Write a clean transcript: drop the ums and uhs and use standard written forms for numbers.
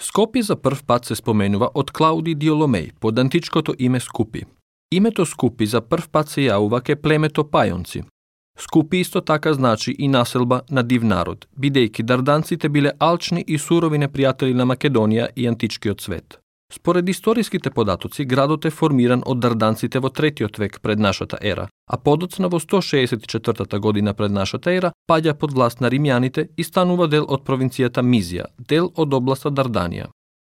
Скопје за прв пат се споменува од Клауди Диоломеј под античкото име Скупи. Името Скупи за прв пат се јавува ке племето Пајонци. Скупи исто така значи и населба на див народ, бидејќи дарданците биле алчни и сурови непријатели на Македонија и античкиот свет. Според историските податоци, градот е формиран од дарданците во 3 век пред нашата ера, а подоцна во 164 година пред нашата ера паѓа под власт на римјаните и станува дел од провинцијата Мизија, дел од областа Дарданија.